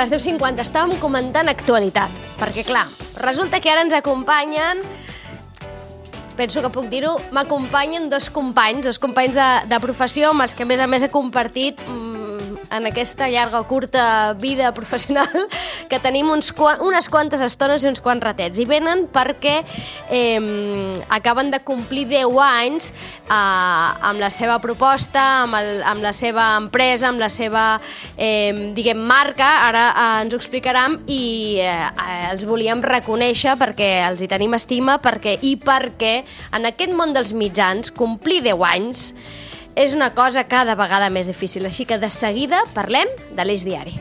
les 10:50 estàvem comentant actualitat, perquè clar, resulta que ara ens acompanyen, penso que puc dir-ho, m'acompanyen dos companys de professió amb els que a més he compartit en aquesta llarga o curta vida professional, que tenim unes quantes estones i uns quants ratets. I venen perquè acaben de complir 10 anys amb la seva proposta, amb la seva empresa, amb la seva, marca. Ara ens ho explicaran i els volíem reconèixer perquè els hi tenim estima i perquè en aquest món dels mitjans complir 10 anys és una cosa cada vegada més difícil, així que de seguida parlem de l'Eix Diari.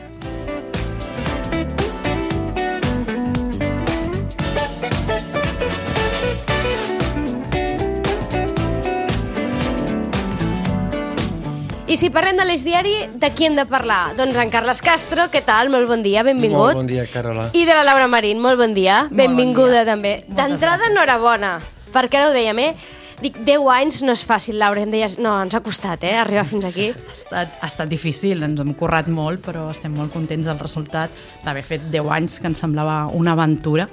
I si parlem de l'Eix Diari, de qui hem de parlar? Doncs en Carles Castro, què tal? Molt bon dia, benvingut. Molt bon dia, Carola. I de la Laura Marín, molt bon dia, benvinguda també. D'entrada, enhorabona, perquè ara ho dèiem, Dic, 10 anys no és fàcil, Laura, em deies... No, ens ha costat, arribar fins aquí. Ha estat difícil, ens hem currat molt, però estem molt contents del resultat d'haver fet 10 anys, que ens semblava una aventura.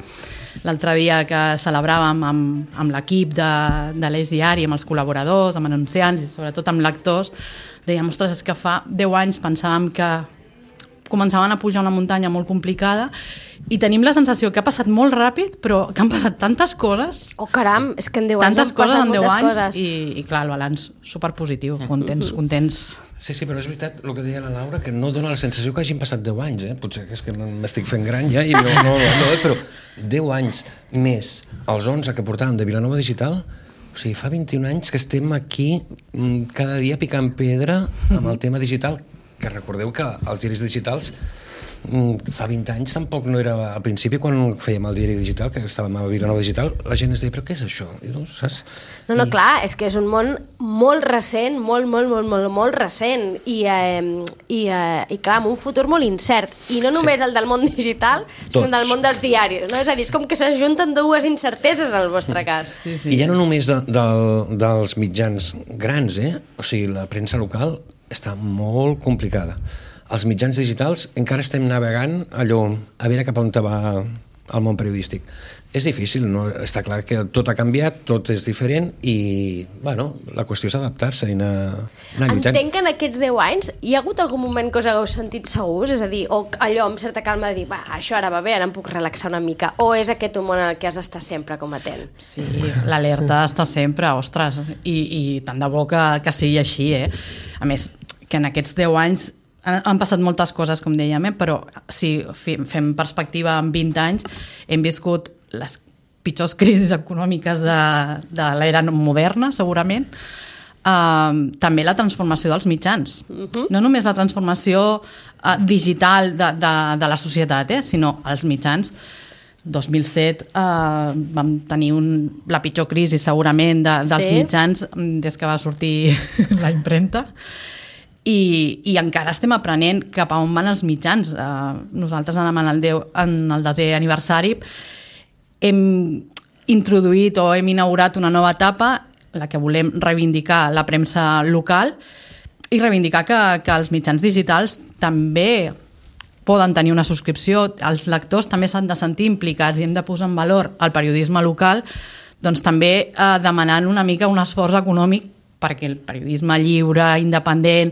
L'altre dia que celebràvem amb l'equip de l'Eix Diari, amb els col·laboradors, amb anunciants i sobretot amb lectors, dèiem, ostres, és que fa 10 anys pensàvem que començaven a pujar una muntanya molt complicada i tenim la sensació que ha passat molt ràpid, però que han passat tantes coses. Oh, caram, és que en 10 anys han passat moltes coses. I clar, el balanç superpositiu, contents. Sí, però és veritat el que deia la Laura, que no dona la sensació que hagin passat 10 anys, Potser que és que m'estic fent gran ja i no, però 10 anys més els 11 que portàvem de Vilanova Digital, o sigui, fa 21 anys que estem aquí cada dia picant pedra amb el tema digital, que recordeu que els diaris digitals fa 20 anys tampoc no era... Al principi, quan fèiem el diari digital, que estàvem a Vilanova Digital, la gent es deia, però què és això? Saps? No, clar, és que és un món molt recent, molt recent, i clar, amb un futur molt incert. I no només el del món digital, sinó del món dels diaris, no? És a dir, és com que s'ajunten dues incerteses en el vostre cas. Sí. I ja no només dels mitjans grans, O sigui, la premsa local està molt complicada. Els mitjans digitals encara estem navegant allò, a veure cap on va el món periodístic. És difícil, no? Està clar que tot ha canviat, tot és diferent i, la qüestió és adaptar-se i anar lluitant. Entenc que en aquests 10 anys hi ha hagut algun moment que us hagueu sentit segurs? És a dir, o allò amb certa calma de dir, això ara va bé, ara em puc relaxar una mica, o és aquest un món en el que has d'estar sempre com atent? Sí, l'alerta està sempre, ostres, i tant de bo que sigui així, A més, que en aquests 10 anys han passat moltes coses, com dèiem, però si fem perspectiva en 20 anys, hem viscut les pitjors crisis econòmiques de l'era moderna, segurament. També la transformació dels mitjans. No només la transformació digital de la societat, sinó els mitjans. 2007 vam tenir la pitjor crisi, segurament, dels mitjans des que va sortir la impremta. I encara estem aprenent cap a on van els mitjans. Nosaltres en el 10è aniversari hem introduït o hem inaugurat una nova etapa, la que volem reivindicar la premsa local i reivindicar que els mitjans digitals també poden tenir una subscripció, els lectors també s'han de sentir implicats i hem de posar en valor el periodisme local, doncs també demanant una mica un esforç econòmic perquè el periodisme lliure, independent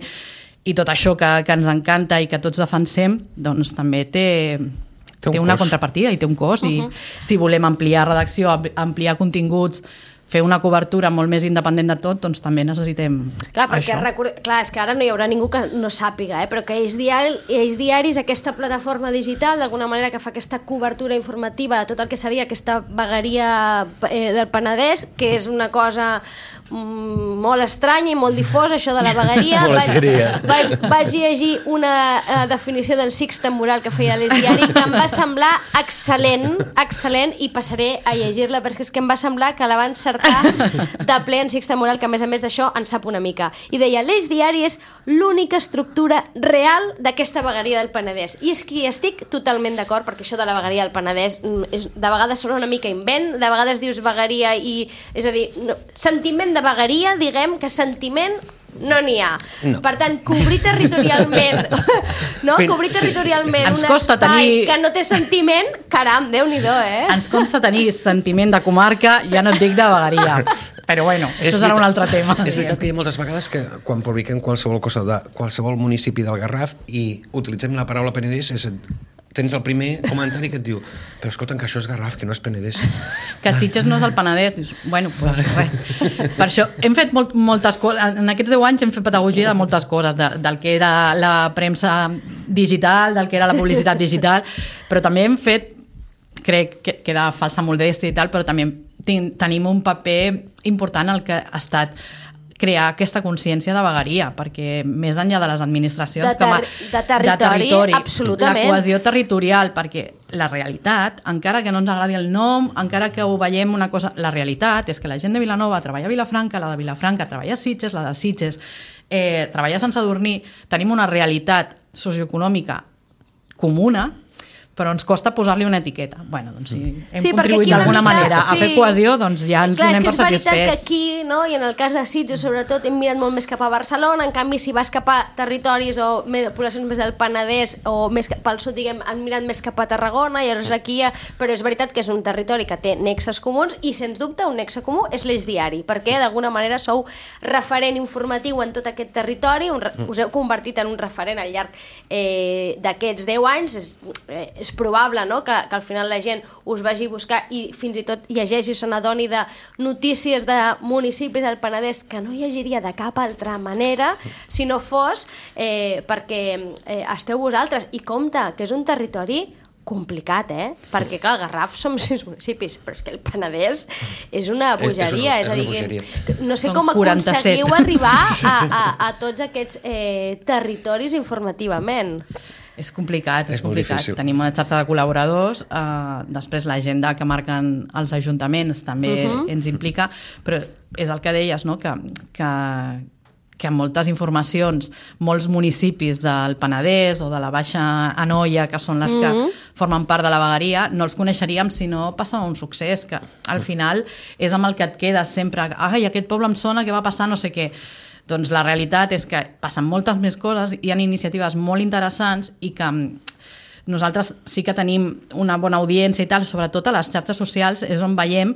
i tot això que ens encanta i que tots defensem, doncs també té una contrapartida i té un cost. I si volem ampliar redacció, ampliar continguts, fer una cobertura molt més independent de tot, doncs també necessitem això. Clar, és que ara no hi haurà ningú que no sàpiga, però que Eix Diari és aquesta plataforma digital, d'alguna manera, que fa aquesta cobertura informativa de tot el que seria aquesta vegueria del Penedès, que és una cosa molt estranya i molt difosa, això de la vegueria. Vaig llegir una definició del Sixte Moral que feia l'Eix Diari que em va semblar excel·lent i passaré a llegir-la, perquè és que em va semblar que la van cercar de ple en Sixte Moral, que a més d'això en sap una mica. I deia, l'Eix Diari és l'única estructura real d'aquesta vegueria del Penedès. I és que estic totalment d'acord, perquè això de la vegueria del Penedès de vegades sona una mica invent, de vegades dius vegueria i... És a dir, sentiment de vegueria, diguem que sentiment no n'hi ha. No. Per tant, cobrir territorialment cobrir territorialment Ens un costa espai tenir- que no té sentiment, caram, Déu-n'hi-do, Ens consta tenir sentiment de comarca, ja no et dic de vegueria. Però bueno, això serà un altre tema. És veritat que hi ha moltes vegades que quan publiquem qualsevol cosa de qualsevol municipi del Garraf i utilitzem la paraula Penedès, tens el primer comentari que et diu però escolta'm, que això és Garraf, que no és Penedès. Que Sitges no és el Penedès. Dius, bueno, doncs res. Per això hem fet moltes coses. En aquests 10 anys hem fet pedagogia de moltes coses, del que era la premsa digital, del que era la publicitat digital, però també hem fet, crec que queda falsa modèstia i tal, però també tenim un paper important el que ha estat crear aquesta consciència de vegueria, perquè més enllà de les administracions... De territori, absolutament. La cohesió territorial, perquè la realitat, encara que no ens agradi el nom, encara que ho veiem una cosa... La realitat és que la gent de Vilanova treballa a Vilafranca, la de Vilafranca treballa a Sitges, la de Sitges treballa a Sant Sadurní, tenim una realitat socioeconòmica comuna, però ens costa posar-li una etiqueta. Bueno, doncs si hem contribuït d'alguna manera a fer cohesió, doncs ja ens donem per satisfets. És veritat que aquí, no? I en el cas de Sitges, sobretot, hem mirat molt més cap a Barcelona, en canvi, si vas cap a territoris o poblacions més del Penedès o més pel sud, diguem, han mirat més cap a Tarragona, i llavors aquí però és veritat que és un territori que té nexes comuns i, sens dubte, un nexe comú és l'Eix Diari, perquè d'alguna manera sou referent informatiu en tot aquest territori, us heu convertit en un referent al llarg d'aquests 10 anys, és probable, no?, que al final la gent us vagi a buscar i fins i tot llegeixi o se n'adoni de notícies de municipis del Penedès que no llegiria de cap altra manera si no fos perquè esteu vosaltres. I compte, que és un territori complicat, perquè clar, el Garraf som 6 municipis, però és que el Penedès és una bogeria, és a dir, no sé com aconseguiu arribar a tots aquests territoris informativament. És complicat, és complicat. Tenim una xarxa de col·laboradors, després l'agenda que marquen els ajuntaments també ens implica, però és el que deies, no?, que en moltes informacions, molts municipis del Penedès o de la Baixa Anoia, que són les que formen part de la vegueria, no els coneixeríem si no passa un succés, que al final és amb el que et quedes sempre. Ai, aquest poble em sona que va passar no sé què. Doncs la realitat és que passen moltes més coses, hi ha iniciatives molt interessants i que nosaltres sí que tenim una bona audiència i tal, sobretot a les xarxes socials és on veiem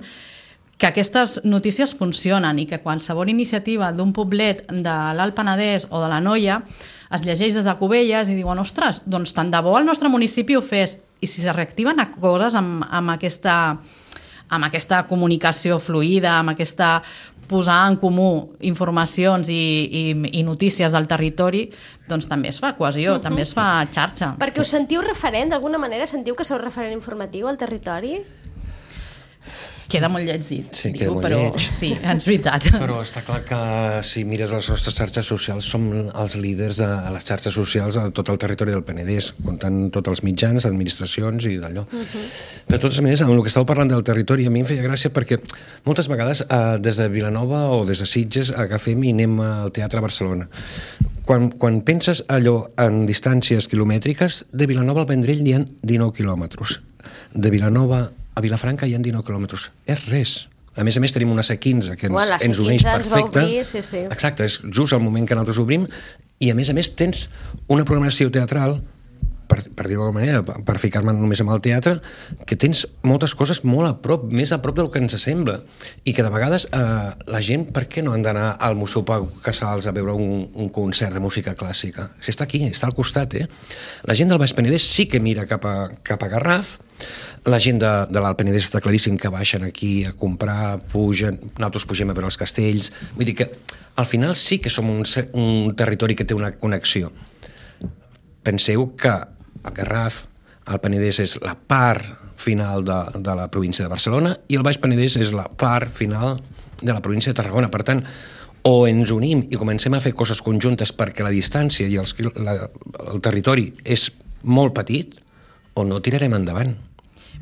que aquestes notícies funcionen i que qualsevol iniciativa d'un poblet de l'Alt Penedès o de l'Anoia es llegeix des de Cubelles i diuen, ostres, doncs tant de bo el nostre municipi ho fes. I si se reactiven coses amb aquesta comunicació fluida, amb aquesta posar en comú informacions i notícies del territori, doncs també es fa cohesió, també es fa xarxa. Perquè us sentiu referent, d'alguna manera sentiu que sou referent informatiu al territori? Queda molt lleig dit, sí, queda molt però lleig. sí, és veritat. Però està clar que si mires les nostres xarxes socials som els líders de les xarxes socials a tot el territori del Penedès, comptant tots els mitjans, administracions i d'allò. Però de totes maneres, amb el que estàveu parlant del territori, a mi em feia gràcia perquè moltes vegades des de Vilanova o des de Sitges agafem i anem al Teatre Barcelona. Quan penses allò en distàncies quilomètriques, de Vilanova al Vendrell hi ha 19 quilòmetres. De Vilanova a Vilafranca hi ha 19 quilòmetres. És res. A més, tenim una C15 que ens uneix perfecte. Sí. Exacte, és just el moment que nosaltres obrim i a més tens una programació teatral, per dir-ho d'alguna manera, per ficar-me només amb el teatre, que tens moltes coses molt a prop, més a prop del que ens sembla. I que de vegades la gent, per què no han d'anar al Museu Pau Casals a veure un concert de música clàssica? Si està aquí, està al costat, La gent del Baix Penedès sí que mira cap a Garraf, la gent de l'Alt Penedès està claríssim que baixen aquí a comprar, pugen, nosaltres pugem a veure els castells, vull dir que al final sí que som un territori que té una connexió. Penseu que el Garraf, el Penedès és la part final de la província de Barcelona i el Baix Penedès és la part final de la província de Tarragona. Per tant, o ens unim i comencem a fer coses conjuntes perquè la distància i el territori és molt petit, o no tirarem endavant.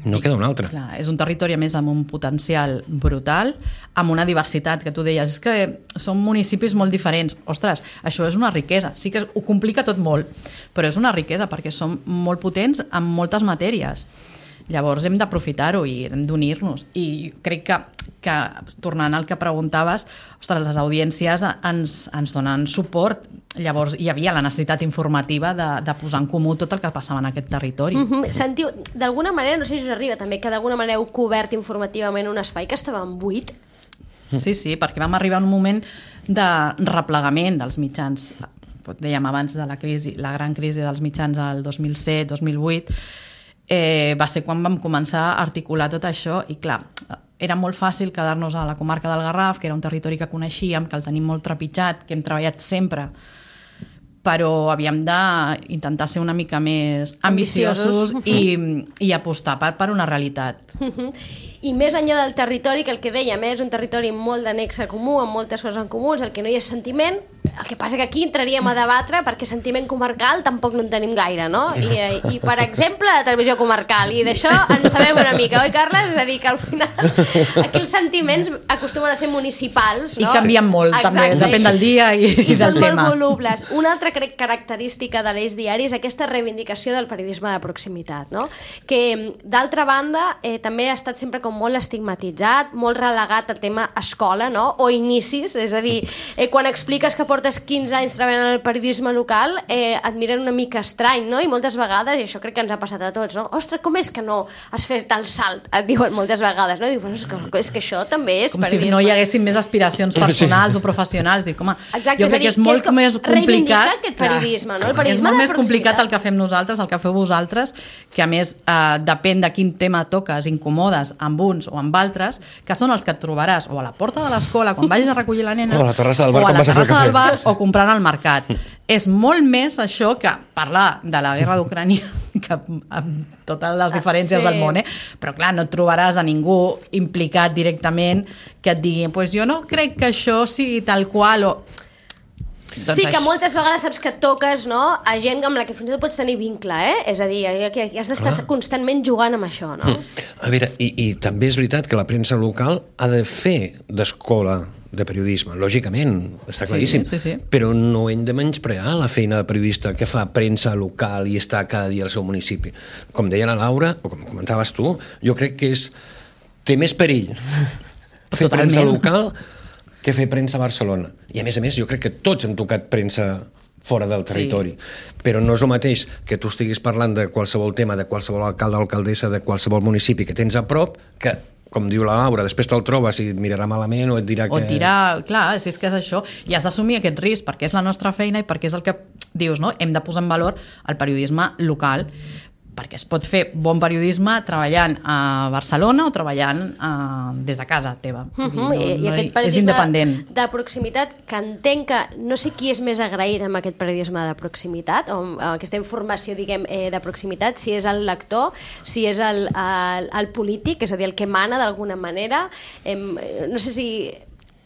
No queda una altra. Clar, és un territori, a més, amb un potencial brutal, amb una diversitat, que tu deies, és que són municipis molt diferents. Ostres, això és una riquesa. Sí que ho complica tot molt, però és una riquesa perquè som molt potents en moltes matèries. Llavors hem d'aprofitar-ho i hem d'unir-nos. I crec que tornant al que preguntaves, ostres, les audiències ens donen suport. Llavors hi havia la necessitat informativa de posar en comú tot el que passava en aquest territori. Sentiu, d'alguna manera, no sé si us arriba també, que d'alguna manera heu cobert informativament un espai que estava buit? Sí, perquè vam arribar a un moment de replegament dels mitjans. Dèiem abans de la crisi, la gran crisi dels mitjans al 2007-2008, va ser quan vam començar a articular tot això i clar, era molt fàcil quedar-nos a la comarca del Garraf, que era un territori que coneixíem, que el tenim molt trepitjat, que hem treballat sempre, però havíem d'intentar ser una mica més ambiciosos i apostar per una realitat. I més enllà del territori, que el que dèiem és un territori molt de nexe comú, amb moltes coses en comú, el que no hi és sentiment, el que passa que aquí entraríem a debatre perquè sentiment comarcal tampoc no en tenim gaire, no? I per exemple, la televisió comarcal, i d'això en sabem una mica, oi, Carles? És a dir, que al final aquí els sentiments acostumen a ser municipals, no? I canvien molt, també, depèn del dia i del tema. I són molt volubles. Una altra característica de l'Eix Diari és aquesta reivindicació del periodisme de proximitat, no? Que, d'altra banda, també ha estat sempre com molt estigmatitzat, molt relegat al tema escola, no? O inicis, és a dir, quan expliques que portes 15 anys treballant en el periodisme local, et miren una mica estrany, no? I moltes vegades, i això crec que ens ha passat a tots, no? Ostres, com és que no has fet el salt? Et diuen moltes vegades, no? Diu, és que això també és com periodisme. Si no hi haguessin més aspiracions personals o professionals. Dic, home, exacte, jo crec que és molt més complicat. Aquest periodisme, no? El és periodisme molt de més complicat el que fem nosaltres, el que feu vosaltres, que a més depèn de quin tema toques, incomodes amb uns o amb altres, que són els que et trobaràs o a la porta de l'escola quan vagis a recollir la nena, o a la terrassa del bar, o a la terrassa del bar, cafè, o comprant al mercat. És molt més això que parlar de la guerra d'Ucrània, que amb totes les diferències del món, però clar, no et trobaràs a ningú implicat directament que et digui, pues jo no crec que això sigui tal qual o... Doncs sí, que moltes vegades saps que toques, no?, a gent amb la que fins i tot pots tenir vincle, És a dir, que has d'estar constantment jugant amb això, no? A veure, i també és veritat que la premsa local ha de fer d'escola de periodisme, lògicament, està claríssim, sí. Però no hem de menysprear la feina de periodista que fa premsa local i està cada dia al seu municipi. Com deia la Laura, o com comentaves tu, jo crec que té més perill fer premsa local que fer premsa a Barcelona. I a més, jo crec que tots hem tocat premsa fora del territori. Però no és el mateix que tu estiguis parlant de qualsevol tema, de qualsevol alcalde o alcaldessa, de qualsevol municipi que tens a prop, que, com diu la Laura, després te'l trobes i et mirarà malament o et dirà que... O et dirà, clar, si és que és això, i has d'assumir aquest risc perquè és la nostra feina i perquè és el que dius, no? Hem de posar en valor el periodisme local, perquè es pot fer bon periodisme treballant a Barcelona o treballant des de casa teva. I aquest periodisme és independent. De proximitat, que entenc que no sé qui és més agraït amb aquest periodisme de proximitat, o amb aquesta informació, diguem, de proximitat, si és el lector, si és el polític, és a dir, el que mana d'alguna manera. No sé si...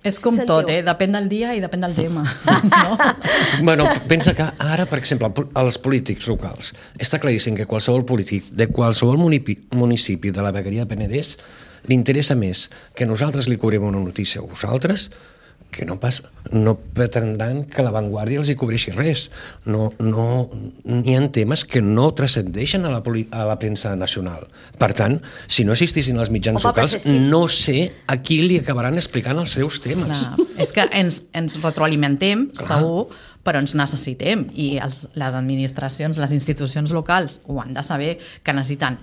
És com tot, depèn del dia i depèn del tema. No? Bueno, pensa que ara, per exemple, els polítics locals, està claríssim que qualsevol polític de qualsevol municipi de la vegueria de Penedès li interessa més que nosaltres li cobrem una notícia a vosaltres que no pretendran que l'avantguàrdia els hi cobreixi res. N'hi ha temes que no transcendeixen a la premsa nacional. Per tant, si no existissin els mitjans locals, no sé a qui li acabaran explicant els seus temes. Clar. És que ens retroalimentem, segur, però ens necessitem. I les administracions, les institucions locals ho han de saber, que necessiten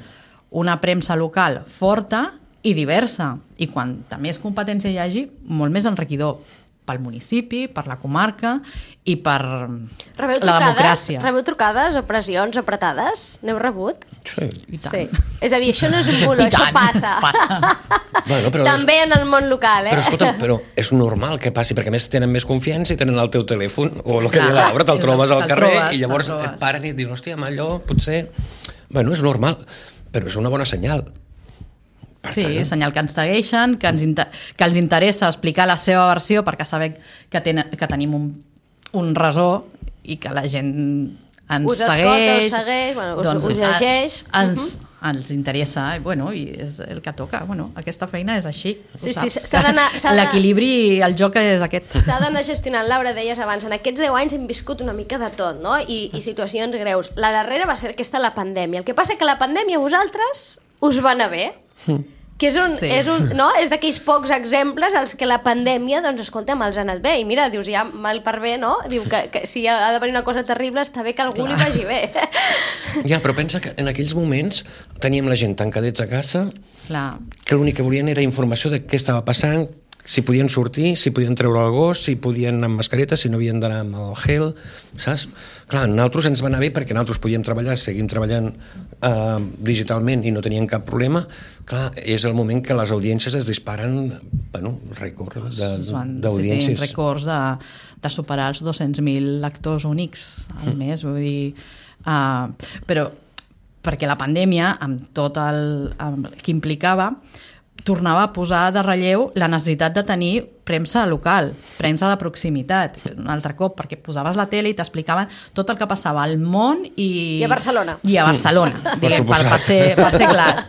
una premsa local forta i diversa, i quanta més competència hi hagi, molt més enriquidor pel municipi, per la comarca i per la democràcia. Rebeu trucades o pressions apretades? N'heu rebut? Sí. I tant. Sí. És a dir, això no és un bulo, això passa. Bueno, però també en el món local, Però escolta, és normal que passi, perquè a més tenen més confiança i tenen el teu telèfon, o el que deia Laura, te'l trobes al carrer i llavors et paren i et diuen, hòstia, allò potser... Bueno, és normal, però és una bona senyal. Sí, senyal que ens segueixen, que els interessa explicar la seva versió perquè sabem que tenim un resó i que la gent ens segueix. Us llegeix. Ens interessa, i és el que toca. Aquesta feina és així. Sí, l'equilibri, el joc és aquest. S'ha d'anar gestionant. Laura, deies abans, en aquests 10 anys hem viscut una mica de tot, no? I situacions greus. La darrera va ser aquesta, la pandèmia. El que passa que la pandèmia vosaltres us va anar bé. Que és d'aquells pocs exemples als que la pandèmia, doncs, escolta'm, els ha anat bé. I mira, dius, ja mal per bé, no? Diu que si ha de venir una cosa terrible, està bé que algú li vagi bé. Ja, però pensa que en aquells moments teníem la gent tancadets a casa, que l'únic que volien era informació de què estava passant, si podien sortir, si podien treure el gos, si podien anar amb mascareta, si no havien d'anar amb el gel, saps? Clar, nosaltres ens va anar bé perquè nosaltres podíem treballar, seguim treballant digitalment i no teníem cap problema. Clar, és el moment que les audiències es disparen, rècords d'audiències. Sí, rècords de superar els 200.000 lectors únics al mes, vull dir... Però perquè la pandèmia, amb tot el que implicava, tornava a posar de relleu la necessitat de tenir premsa local, premsa de proximitat, un altre cop, perquè posaves la tele i t'explicaven tot el que passava al món i a Barcelona. Per ser clars.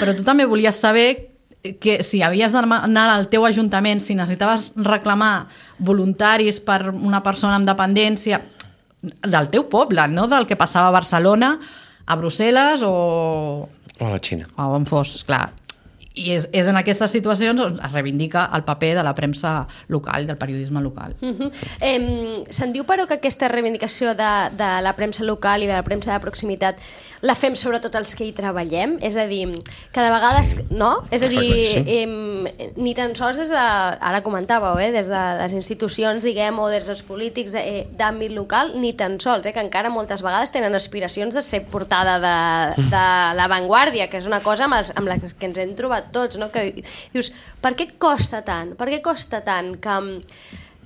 Però tu també volies saber que si havies d'anar al teu ajuntament, si necessitaves reclamar voluntaris per una persona amb dependència del teu poble, no del que passava a Barcelona, a Brussel·les o a la Xina. O on fos, clar. I és en aquestes situacions on es reivindica el paper de la premsa local, del periodisme local. Se'n diu, però, que aquesta reivindicació de la premsa local i de la premsa de proximitat la fem sobretot els que hi treballem? És a dir, que de vegades, no? És a dir, ni tan sols des de, ara comentàveu, des de les institucions, diguem, o des dels polítics d'àmbit local, ni tan sols, que encara moltes vegades tenen aspiracions de ser portada de l'avantguàrdia, que és una cosa amb la que ens hem trobat tots, no? Que dius, per què costa tant? Per què costa tant que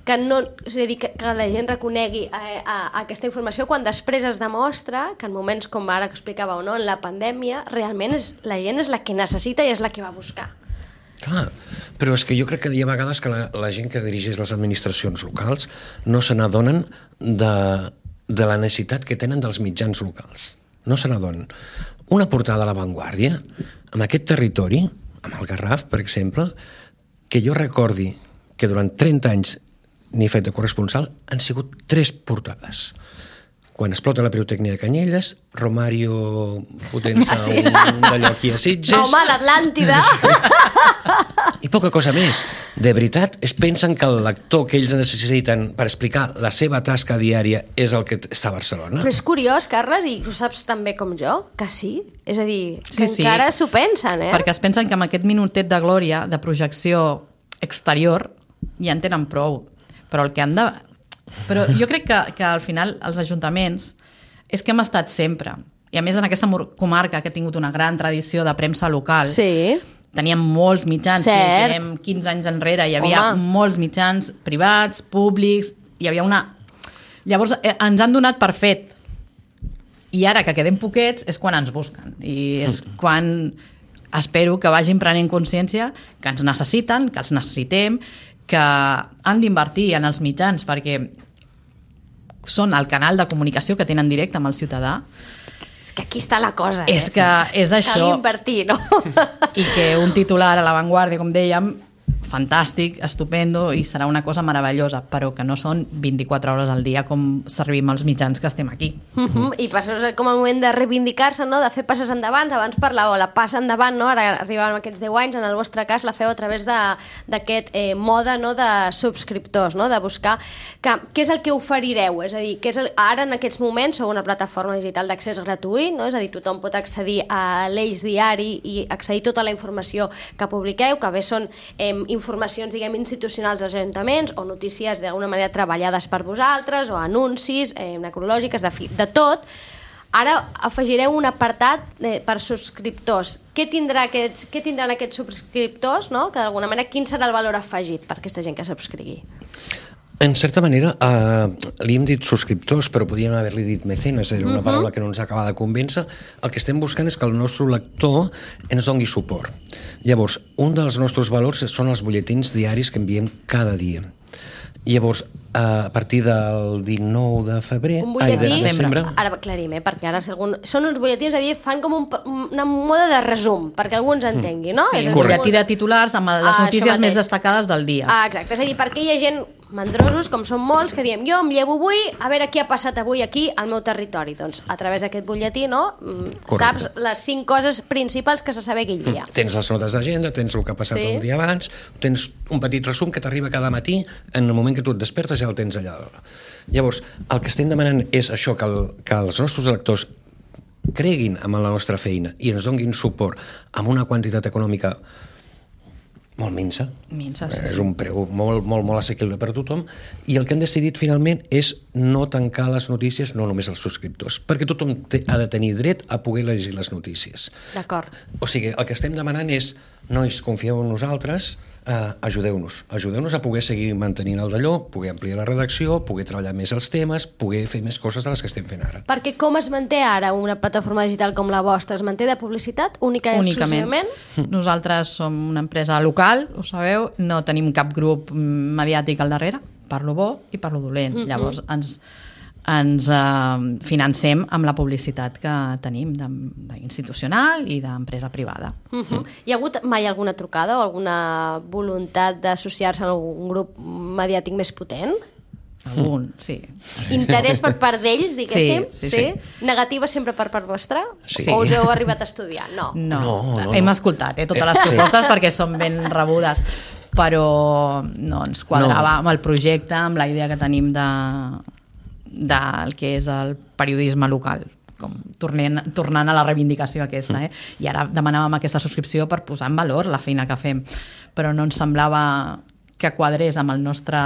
la gent reconegui aquesta informació quan després es demostra que en moments com ara que explicàveu, no? En la pandèmia, realment la gent és la que necessita i és la que va buscar. Clar, però és que jo crec que hi ha vegades que la gent que dirigeix les administracions locals no se n'adonen de la necessitat que tenen dels mitjans locals. No se n'adonen. Una portada a l'avantguàrdia, en aquest territori, amb el Garraf, per exemple, que jo recordi que durant 30 anys n'he fet de corresponsal, han sigut 3 portades. Quan explota la pirotècnia de Canyelles, Romario fotent-se un d'allò aquí a Sitges... Home, l'Atlàntida! I poca cosa més. De veritat, es pensen que el lector que ells necessiten per explicar la seva tasca diària és el que està a Barcelona? Però és curiós, Carles, i ho saps tan bé com jo, que sí. És a dir, que encara s'ho pensen, Perquè es pensen que amb aquest minutet de glòria, de projecció exterior, ja en tenen prou. Però el que han de... Però jo crec que al final els ajuntaments és que hem estat sempre. I a més en aquesta comarca que ha tingut una gran tradició de premsa local, teníem molts mitjans, teníem 15 anys enrere, hi havia molts mitjans privats, públics, hi havia una... Llavors ens han donat per fet. I ara que quedem poquets és quan ens busquen. I és quan espero que vagin prenent consciència que ens necessiten, que els necessitem, que han d'invertir en els mitjans perquè són el canal de comunicació que tenen directe amb el ciutadà. És que aquí està la cosa, És que és això. Cal invertir, no? I que un titular a l'avantguàrdia, com dèiem, fantàstic, estupendo, i serà una cosa meravellosa, però que no són 24 hores al dia com servim els mitjans que estem aquí. I passa com el moment de reivindicar-se, no? De fer passes endavant. Abans parlàveu, la passa endavant, no? Ara arribàvem a aquests 10 anys, en el vostre cas la feu a través d'aquest mode, no? De subscriptors, no? De buscar què és el que oferireu, és a dir, ara en aquests moments sou una plataforma digital d'accés gratuït, no? És a dir, tothom pot accedir a l'Eix Diari i accedir a tota la informació que publiqueu, que bé són informacions, diguem, institucionals dels ajuntaments o notícies d'alguna manera treballades per vosaltres o anuncis necrològiques, de tot. Ara afegireu un apartat per subscriptors. Què tindran aquests subscriptors, no? Que d'alguna manera, quin serà el valor afegit per aquesta gent que subscrigui? En certa manera, li hem dit subscriptors, però podríem haver-li dit mecenes, era una paraula que no ens acaba de convèncer. El que estem buscant és que el nostre lector ens doni suport. Llavors, un dels nostres valors són els butlletins diaris que enviem cada dia. Llavors, a partir del 19 de febrer... Un butlletí, ara aclarim, perquè ara són uns butlletins, és a dir, fan com una moda de resum, perquè algú ens entengui, no? Sí, un butlletí de titulars amb les notícies més destacades del dia. Exacte, és a dir, perquè hi ha gent, mandrosos, com són molts, que diem, jo em llevo avui, a veure què ha passat avui aquí al meu territori. Doncs a través d'aquest butlletí, no? Saps les 5 coses principals que s'ha de saber aquell dia. Tens les notes d'agenda, tens el que ha passat el dia abans, tens un petit resum que t'arriba cada matí, en el moment que tu et despertes ja el tens allà. Llavors, el que estem demanant és això, que els nostres electors creguin en la nostra feina i ens donguin suport amb una quantitat econòmica molt minsa. És un preu molt assequible per a tothom, i el que han decidit finalment és no tancar les notícies, no només als subscriptors, perquè tothom ha de tenir dret a poder llegir les notícies. D'acord. O sigui, el que estem demanant és, nois, confieu en nosaltres, ajudeu-nos a poder seguir mantenint el d'allò, poder ampliar la redacció, poder treballar més els temes, poder fer més coses de les que estem fent ara. Perquè com es manté ara una plataforma digital com la vostra? Es manté de publicitat únicament? Exclusivament? Nosaltres som una empresa local, ho sabeu, no tenim cap grup mediàtic al darrere, per lo bo i per lo dolent. Llavors ens financem amb la publicitat que tenim d'institucional i d'empresa privada. Hi ha hagut mai alguna trucada o alguna voluntat d'associar-se a algun grup mediàtic més potent? Algun, sí. Interès per part d'ells, diguéssim? Sí. Negativa sempre per part vostra? Sí. O us heu arribat a estudiar? No. Hem escoltat totes les propostes perquè són ben rebudes, però no ens quadrava amb el projecte, amb la idea que tenim del que és el periodisme local, com tornant a la reivindicació aquesta, i ara demanàvem aquesta subscripció per posar en valor la feina que fem, però no ens semblava que quadrés amb el nostre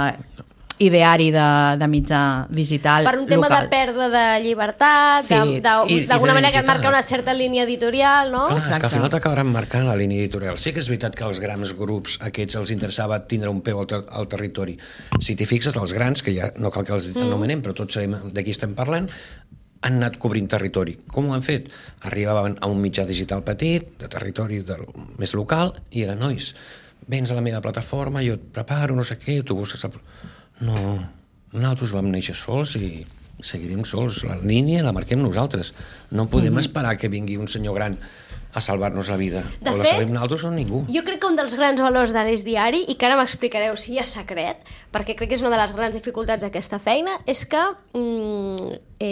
ideari de mitjà digital local. Per un tema de pèrdua de llibertat, d'alguna manera que et marca una certa línia editorial, no? Clar, és que al final t'acabaran marcant la línia editorial. Sí que és veritat que als grans grups aquests els interessava tindre un peu al territori. Si t'hi fixes, els grans, que ja no cal que els anomenem, però tots sabem de qui estem parlant, han anat cobrint territori. Com ho han fet? Arribaven a un mitjà digital petit, de territori més local, i eren, nois, vens a la meva plataforma, jo et preparo, no sé què, tu busques... No, nosaltres vam néixer sols i seguirem sols. La línia la marquem nosaltres. No podem esperar que vingui un senyor gran a salvar-nos la vida. De o fet, la salvem nosaltres o ningú. Jo crec que un dels grans valors d'Ares Diari, i que ara m'explicareu si hi ha secret, perquè crec que és una de les grans dificultats d'aquesta feina, és que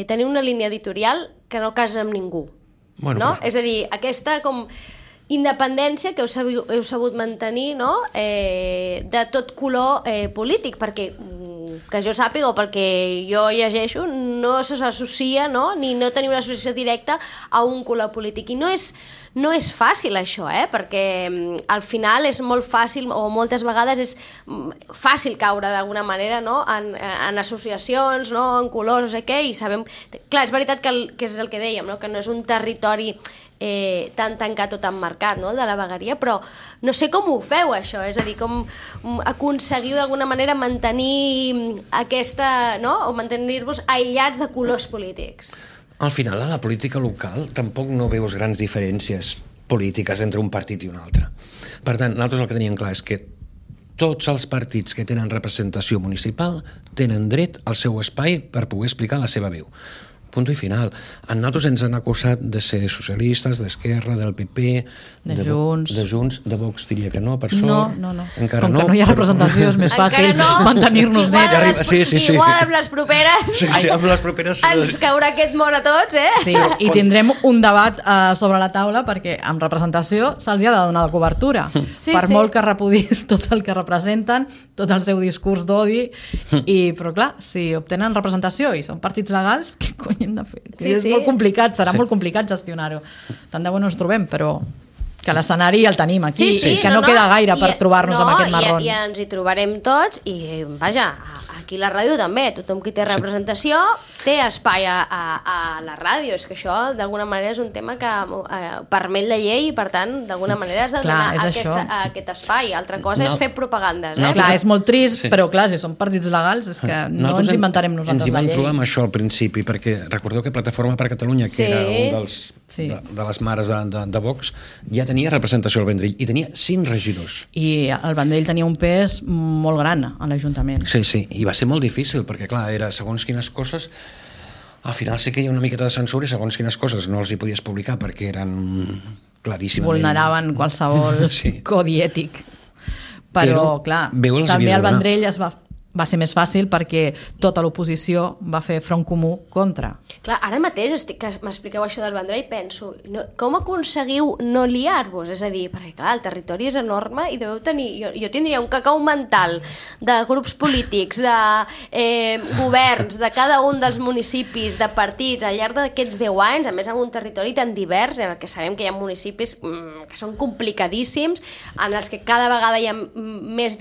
teniu una línia editorial que no casa amb ningú. Bueno, no? És a dir, aquesta com independència que heu sabut mantenir, no? De tot color polític, perquè que jo sàpiga o pel que jo llegeixo no s'associa, no? Ni no tenir una associació directa a un color polític, i no és fàcil això, perquè al final és molt fàcil, o moltes vegades és fàcil caure d'alguna manera, no? en associacions, no? En colors, no sé què, i sabem... Clar, és veritat que és el que dèiem, no? Que no és un territori tan tancat o tan marcat, no? El de la vegueria, però no sé com ho feu, això, és a dir, com aconseguiu d'alguna manera mantenir aquesta, no? O mantenir-vos aïllats de colors polítics. Al final, a la política local tampoc no veus grans diferències polítiques entre un partit i un altre. Per tant, nosaltres el que teníem clar és que tots els partits que tenen representació municipal tenen dret al seu espai per poder explicar la seva veu. Punt i final. A nosaltres ens han acusat de ser socialistes, d'Esquerra, del PP, de Junts, de Vox diria que no, per sort. No. Encara com que no hi ha representació és més fàcil mantenir-nos nets. Igual amb les properes... Sí, amb les properes... Ens caurà aquest món a tots, Sí, i tindrem un debat sobre la taula perquè amb representació se'ls ha de donar la cobertura. Molt que repudis tot el que representen, tot el seu discurs d'odi, però clar, si obtenen representació i són partits legals, què cony hem de fer? És molt complicat, serà molt complicat gestionar-ho. Tant de bo no ens trobem, però que l'escenari el tenim aquí, que no queda gaire per trobar-nos amb aquest marrón. I ens hi trobarem tots, i vaja, aquí a la ràdio també, tothom qui té representació té espai a la ràdio, és que això d'alguna manera és un tema que permet la llei i per tant d'alguna manera has de donar aquest espai. Altra cosa és fer propagandes. Clar, és molt trist, però clar, si són partits legals és que no ens inventarem nosaltres la llei. Ens hi vam trobar amb això al principi, perquè recordeu que Plataforma per Catalunya, que era un de les mares de Vox, ja tenia representació al Vendrell i tenia 5 regidors. I el Vendrell tenia un pes molt gran a l'Ajuntament. Sí, i va ser molt difícil, perquè clar, era segons quines coses, al final sí que hi ha una miqueta de censura i segons quines coses no els hi podies publicar perquè eren claríssimament... Vulneraven qualsevol codi ètic. Però clar, també el Vendrell es va va ser més fàcil perquè tota l'oposició va fer front comú contra. Clar, ara mateix que m'expliqueu això del Vendrell i penso, com aconseguiu no liar-vos? És a dir, perquè clar, el territori és enorme i deveu tenir... Jo tindria un cacau mental de grups polítics, de governs, de cada un dels municipis, de partits, al llarg d'aquests 10 anys, a més amb un territori tan divers, en el que sabem que hi ha municipis que són complicadíssims, en els que cada vegada hi ha més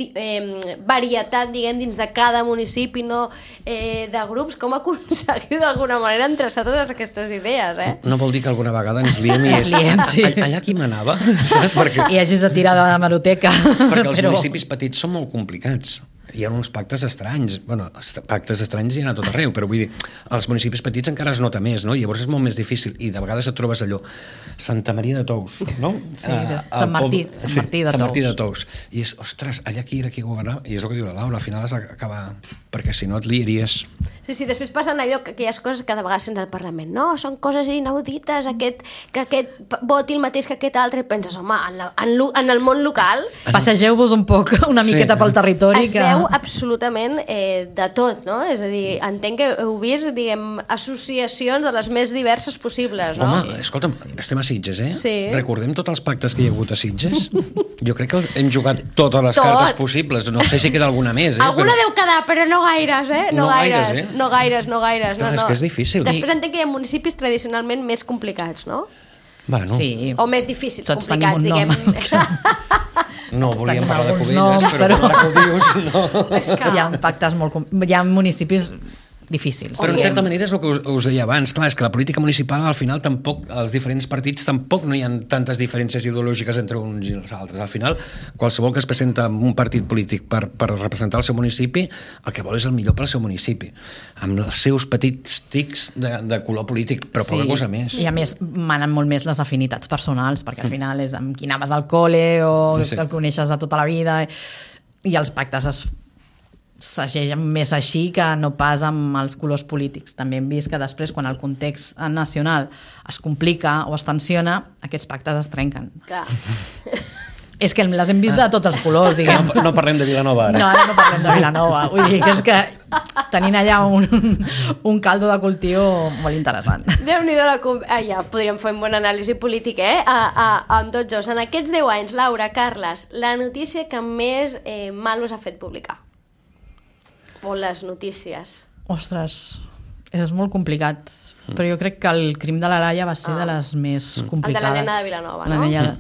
varietat, diguem, dins de cada municipi, no de grups. Com aconseguiu d'alguna manera entreçar totes aquestes idees, eh? No vol dir que alguna vegada ens liem i sí. allà qui manava, saps? Perquè... I hagis de tirar de la hemeroteca. Perquè els municipis petits són molt complicats. Hi ha uns pactes estranys. Bueno, pactes estranys hi ha a tot arreu, però vull dir, als municipis petits encara es nota més, no? Llavors és molt més difícil i de vegades et trobes allò Santa Maria de Tous, no? Sí, Sant Martí de Tous. I és, ostres, allà qui era qui governava? I és el que diu la Laura, al final has d'acabar, perquè si no et liaries. Sí, després passen allò, aquelles coses que de vegades sents al Parlament. No, són coses inaudites, que aquest voti el mateix que aquest altre, i penses, home, en el món local... Passegeu-vos un poc, una miqueta pel territori. Es veu absolutament de tot, no? És a dir, entenc que heu vist, diguem, associacions de les més diverses possibles, no? Home, escolta'm, estem a Sitges, eh? Sí. Recordem tots els pactes que hi ha hagut a Sitges? Jo crec que hem jugat totes les cartes possibles. No sé si queda alguna més, eh? Alguna deu quedar, però no gaires, eh? No gaires, eh? No gaires. Clar, és que és difícil. Després entenc que hi ha municipis tradicionalment més complicats, no? Bueno. Sí. O més difícils, tots complicats, diguem. No volíem parlar de Cubelles, noms, però ara que ho dius, no. És que... Hi ha pactes hi ha municipis difícils. Però en certa manera és el que us deia abans, clar, és que la política municipal al final tampoc, els diferents partits tampoc no hi ha tantes diferències ideològiques entre uns i els altres. Al final, qualsevol que es presenta en un partit polític per representar el seu municipi, el que vol és el millor pel seu municipi, amb els seus petits tics de color polític, però poca cosa més. I a més, manen molt més les afinitats personals, perquè al final és amb qui anaves al col·le o el coneixes de tota la vida, i els pactes s'agegen més així que no pas amb els colors polítics. També hem vist que després, quan el context nacional es complica o es tensiona, aquests pactes es trenquen. Clar. És que les hem vist de tots els colors, diguem. No parlem de Vilanova ara. No, ara no parlem de Vilanova. Vull dir que és que tenint allà un caldo de cultiu molt interessant. Déu-n'hi-do ja podríem fer un bon anàlisi polític, amb tots dos. En aquests 10 anys, Laura, Carles, la notícia que més mal us ha fet publicar? O les notícies? Ostres, és molt complicat. Però jo crec que el crim de la Laia va ser de les més complicades. El de la nena de Vilanova, no? La nena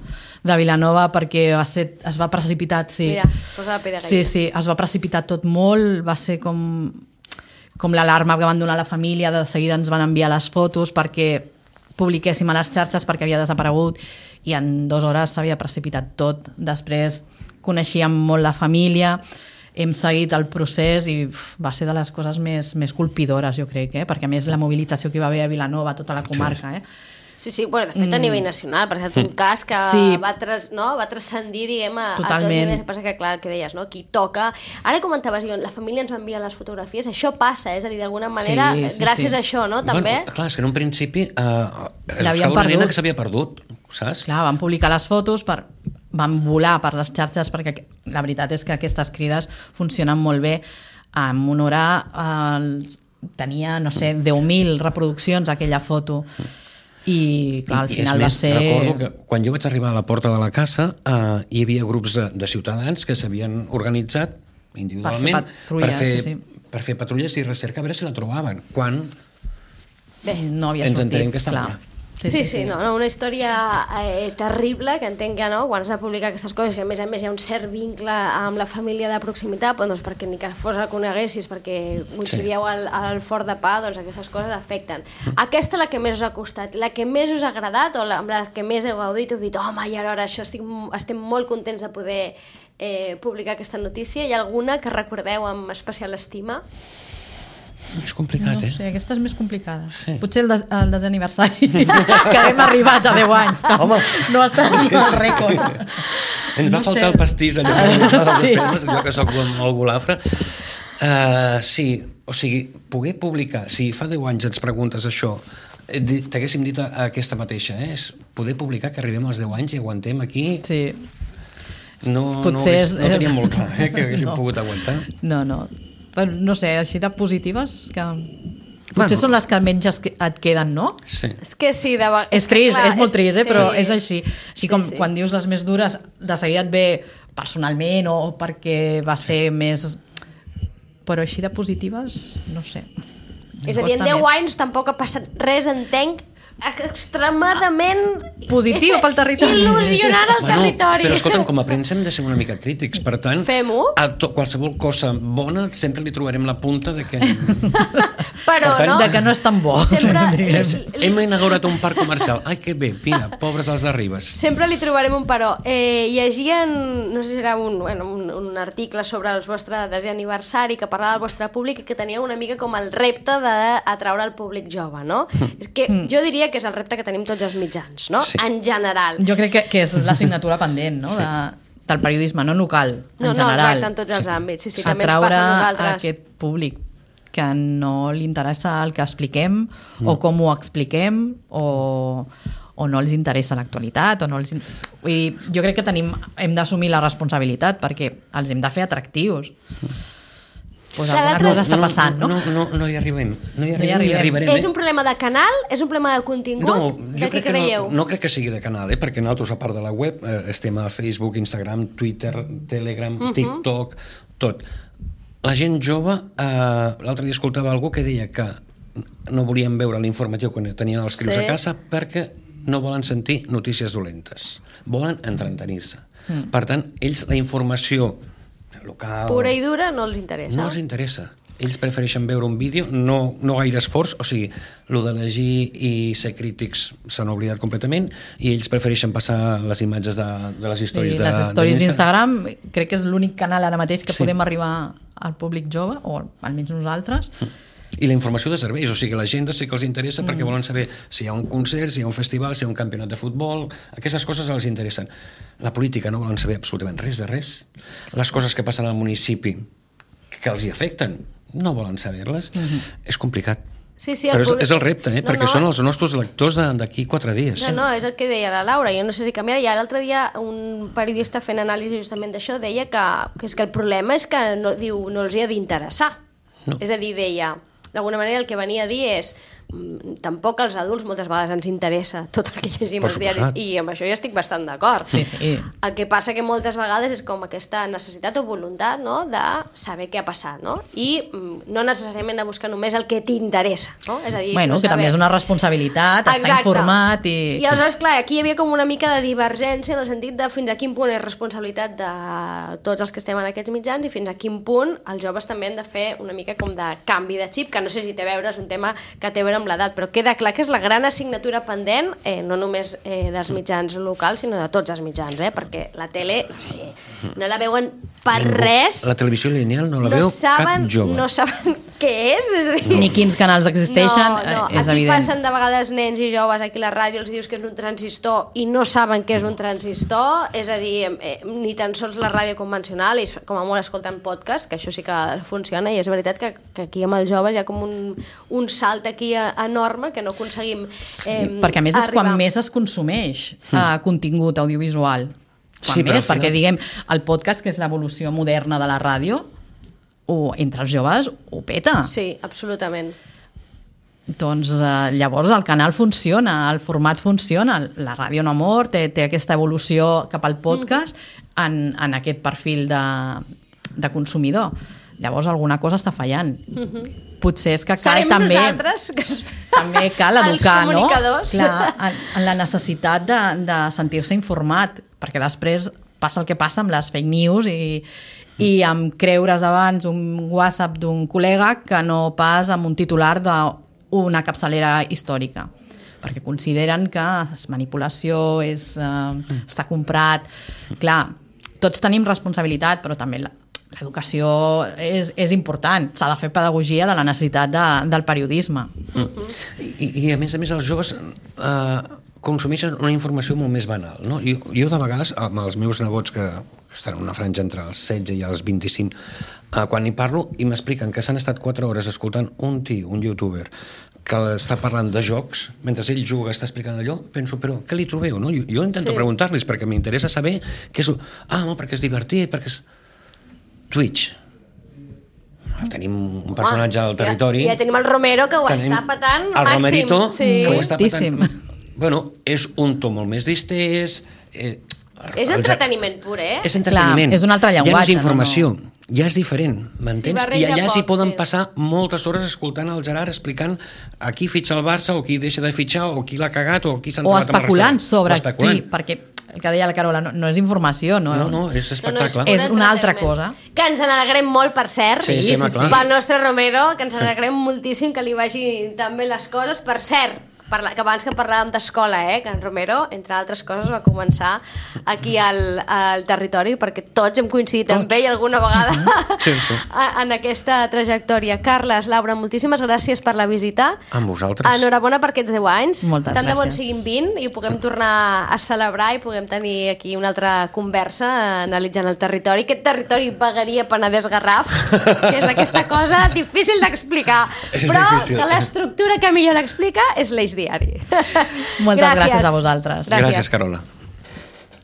de Vilanova, perquè es va precipitar, sí. Mira, posa la pell de gallina. Sí, es va precipitar tot molt, va ser com l'alarma que van donar a la família, de seguida ens van enviar les fotos perquè publiquéssim a les xarxes perquè havia desaparegut i en 2 hores s'havia precipitat tot. Després coneixíem molt la família, hem seguit el procés i va ser de les coses més colpidores, jo crec, perquè a més la mobilització que hi va haver a Vilanova, tota la comarca. Sí, bueno, de fet a nivell nacional, perquè és un cas que va transcendir, diguem, a tot nivell. Passa que, clar, el que deies, no? Qui toca... Ara comentaves, la família ens va enviar les fotografies, això passa, és a dir, d'alguna manera, gràcies a això, no? També. Bueno, clar, és que en un principi es buscava una nena que s'havia perdut, saps? Clar, van publicar les fotos, van volar per les xarxes, perquè la veritat és que aquestes crides funcionen molt bé. En honor tenia, no sé, 10.000 reproduccions aquella foto. I clar, al final va ser... Recordo que quan jo vaig arribar a la porta de la casa hi havia grups de ciutadans que s'havien organitzat individualment per fer patrulles i recerca a veure si la trobaven. Quan no havia ens sortit, entenem que estava allà. Sí, no, una història terrible, que entenc que no, quan has de publicar aquestes coses i a més hi ha un cert vincle amb la família de proximitat, doncs perquè ni que fos la coneguessis, perquè coincidíeu al Fort de Pa, doncs aquestes coses afecten. Aquesta és la que més us ha costat, la que més us ha agradat o amb la que més heu gaudit, heu dit, home, i ara això estem molt contents de poder publicar aquesta notícia. Hi ha alguna que recordeu amb especial estima? És complicat, No sé, aquesta és més complicada. Sí. Potser el desaniversari, que hem arribat a 10 anys. Home. No està en el rècord. Ens va faltar el pastís, allò que soc molt golafre. Sí, o sigui, poder publicar, si fa 10 anys ens preguntes això, t'haguéssim dit aquesta mateixa, és poder publicar que arribem als 10 anys i aguantem aquí. Sí. No teníem molt clar que haguéssim pogut aguantar. No. Però, no sé, així de positives que... Potser són les que menys et queden, no? Sí. És que sí, És trist, és molt trist, però és així. Així com sí. quan dius les més dures, de seguida et ve personalment o perquè va ser més... Però així de positives, no sé. És a dir, en 10 anys tampoc ha passat res, entenc, extremadament positiu pel territori, il·lusionant el territori. Però escolta'm, com a premsa hem de ser una mica crítics, per tant, fem-ho. A qualsevol cosa bona sempre li trobarem la punta de que... Però, tant, no? de que no és tan bo. Hem inaugurat un parc comercial. Ai, que bé, mira, pobres els de Ribes. Sempre li trobarem un però. Llegien, no sé si era un article sobre el vostre desè aniversari que parlava del vostre públic i que tenia una mica com el repte d'atraure el públic jove, no? És que jo diria que és el repte que tenim tots els mitjans, no? Sí. En general. Jo crec que és l'assignatura pendent, no? Del periodisme, no local, en general. No, exacte, en tots els àmbits. Sí, també ens atraure passa a nosaltres. aquest públic que no li interessa el que expliquem o com ho expliquem o no els interessa l'actualitat o no els... Vull dir, jo crec que hem d'assumir la responsabilitat perquè els hem de fer atractius. Pues alguna cosa està passant, no? No hi arribem. No hi arribem. arribarem. És un problema de canal? És un problema de contingut? No, de què creieu? No crec que sigui de canal, perquè nosaltres, a part de la web, estem a Facebook, Instagram, Twitter, Telegram, TikTok, tot. La gent jove, l'altre dia escoltava algú que deia que no volien veure l'informatiu quan tenien els crios a casa perquè no volen sentir notícies dolentes. Volen entretenir-se. Per tant, ells la informació local... Pura i dura no els interessa. No els interessa. Ells prefereixen veure un vídeo, no gaire esforç, o sigui, el de llegir i ser crítics s'han oblidat completament i ells prefereixen passar les imatges de les històries les històries d'Instagram crec que és l'únic canal ara mateix que podem arribar al públic jove, o almenys nosaltres. I la informació de serveis, o sigui, l'agenda sí que els interessa perquè volen saber si hi ha un concert, si hi ha un festival, si hi ha un campionat de futbol, aquestes coses els interessen. La política no volen saber absolutament res de res. Les coses que passen al municipi que els hi afecten, no volen saber-les. És complicat. Sí, però és el repte, perquè són els nostres lectors d'aquí 4 dies. No, és el que deia la Laura, jo no sé si canviarà. Ja l'altre dia un periodista fent anàlisi justament d'això deia que és que el problema és que no els hi ha d'interessar. És a dir, deia... D'alguna manera el que venia a dir és tampoc als adults moltes vegades ens interessa tot el que llegim als diaris i amb això ja estic bastant d'acord. Sí, sí. El que passa que moltes vegades és com aquesta necessitat o voluntat, no?, de saber què ha passat, no? I no necessàriament de buscar només el que t'interessa, no? És a dir, bueno, que també és una responsabilitat, estar informat i... I aleshores, clar, aquí hi havia com una mica de divergència en el sentit de fins a quin punt és responsabilitat de tots els que estem en aquests mitjans i fins a quin punt els joves també han de fer una mica com de canvi de xip, que no sé si té a veure, és un tema que té a veure amb l'edat, però queda clar que és la gran assignatura pendent, no només dels mitjans locals, sinó de tots els mitjans, perquè la tele, no sé, no la veuen per res. La televisió lineal no la veu cap jove. No saben què és a dir... Ni quins canals existeixen, és aquí evident. passen de vegades nens i joves, aquí a la ràdio els dius que és un transistor i no saben què és un transistor, és a dir, ni tan sols la ràdio convencional, i com a molt escolten podcast, que això sí que funciona, i és veritat que aquí amb els joves hi ha com un salt aquí enorme que no aconseguim perquè a més és quan més es consumeix contingut audiovisual. Quan més, perquè diguem, el podcast, que és l'evolució moderna de la ràdio, entre els joves ho peta. Sí, absolutament. Doncs llavors el canal funciona, el format funciona, la ràdio no ha mort, té aquesta evolució cap al podcast en aquest perfil de consumidor. Llavors alguna cosa està fallant. Potser és que cal també cal educar, no? Clar, en la necessitat de sentir-se informat, perquè després passa el que passa amb les fake news i amb creure's abans un WhatsApp d'un col·lega que no pas amb un titular d'una capçalera històrica, perquè consideren que és manipulació, està comprat. Clar, tots tenim responsabilitat, però també l'educació és important. S'ha de fer pedagogia de la necessitat del periodisme. I a més els joves consumeixen una informació molt més banal, no? Jo de vegades, amb els meus nebots que estan en una franja entre els 16 i els 25, quan hi parlo i m'expliquen que s'han estat 4 hores escoltant un youtuber que està parlant de jocs, mentre ell juga, està explicant allò, penso, però què li trobeu, no? Jo intento preguntar-los perquè m'interessa saber què és... perquè és divertit, perquè és... Twitch. tenim un personatge al territori. Ja tenim el Romero, que ho està petant el màxim. Romerito, que ho està Moltíssim. petant. Bueno, és un to molt més distès... És entreteniment pur, eh? És entreteniment. Clar, és un altre llenguatge. Ja no és informació, ja és diferent, m'entens? barreja I allà s'hi poc, poden sí. passar moltes hores escoltant el Gerard explicant a qui fitxa el Barça o qui deixa de fitxar o qui l'ha cagat o qui s'ha O entrat amb el especulant restaurant. sobre O especulant. qui, perquè el que deia la Carola no és informació, no? No, és espectacle. És una altra cosa. Que ens n'alegrem molt, per cert, Sí, clar. pel nostre Romero, que ens n'alegrem moltíssim que li vagin tan bé les coses. Per cert, que abans que parlàvem d'escola, que en Romero, entre altres coses, va començar aquí al territori, perquè tots hem coincidit amb ell alguna vegada Sí. en aquesta trajectòria. Carles, Laura, moltíssimes gràcies per la visita. Amb vosaltres. Enhorabona per aquests 10 anys. Moltes Tant de bon gràcies. siguin 20 i puguem tornar a celebrar i puguem tenir aquí una altra conversa analitzant el territori. Aquest territori Vegueria Penedès-Garraf, que és aquesta cosa difícil d'explicar, però difícil. que l'estructura que millor l'explica és l'Eix Diari. Moltes gràcies a vosaltres. Gràcies, Carola.